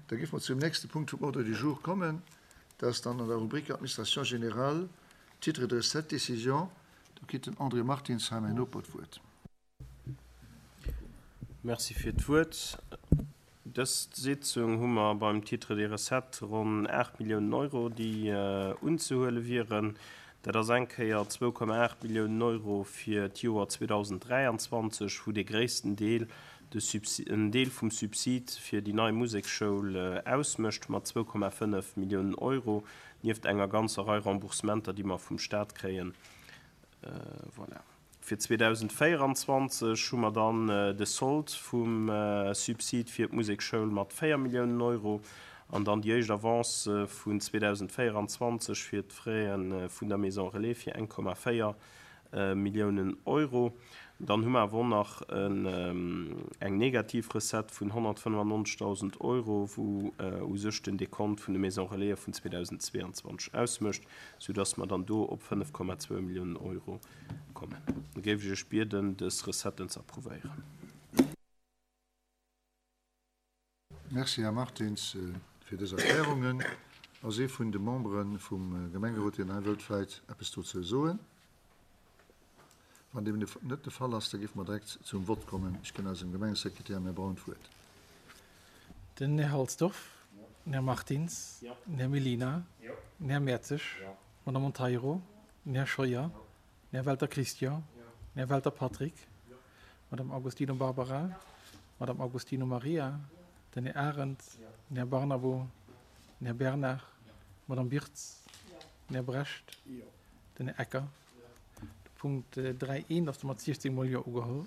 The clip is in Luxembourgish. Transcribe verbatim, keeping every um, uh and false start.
Da géife mer zum nächste Punkt vum Ordre du jour kommen. Dat ass dann an der Rubrik Administration générale, Titre de recettes, décision. Do kritt den André Martins hei, mäin Noper, d'Wuert. Merci fir d'Wuert. Dës Sitzung hu mer beim Titre de recettes ronn aacht Milliounen Euro, déi unzehuele wieren. Dat ass eng Kéier zwou Komma aacht Milliounen Euro fir d'Joer zweedausenddräianzwanzeg, wou dee gréissten Deel de Subsi-, en Deel vum Subsid fir déi nei Museksschoul ausmécht mat zwou Komma fënnef Milliounen Euro, nieft enger ganzer Rei Remboursementer, déi mer vum Stat kréien. Voilà. Fir zweedausendvéieranzwanzeg hu mer dann de Sold vum Subsid fir d'Musekschoul mat véier Milliounen Euro an dann déi éischt Avance vun zweedausendvéieranzwanzeg fir d'Fraie vun der Maison Relais fir eng Komma véier Milliounen Euro. Dann hu mer awer och nach eng negativ Recette vun honnertfënnefannonzegdausend Euro, wou u sech den Dekont vun de Maison Relaise vun zweedausendzweeanzwanzeg ausmécht, soudass mer dann do op fënnef Komma zwou Milliounen Euro kommen. Da géif ech Iech bieden, dës Recetten ze approuvéieren. Merci, Här Martins, fir dës Erklärungen. Ass ee vun de Membere vum Gemengerot, deen hei wëllt vläicht eppes dozou soen? Wann deem net de Fall ass, da géife mer direkt zum Vott kommen. Ech ginn eisem Gemengesekretär, Här Braun, d'Wuert. Den Här Halsdorf, den Här Martins, den Här Mellina, den Här Mertzig, d'Madame Monteiro, den Här Scheuer, den Här Welter Christian, den Här Welter Patrick, d'Madame Agostino Barbara, d'Madame Agostino Maria, den Här Arendt, den Här Barnabo, den Här Bernard, d'Madame Birtz, den Här Brecht, den Här Ecker. De Punkt dräi eent ass domat siechzéng mol Jo ugeholl.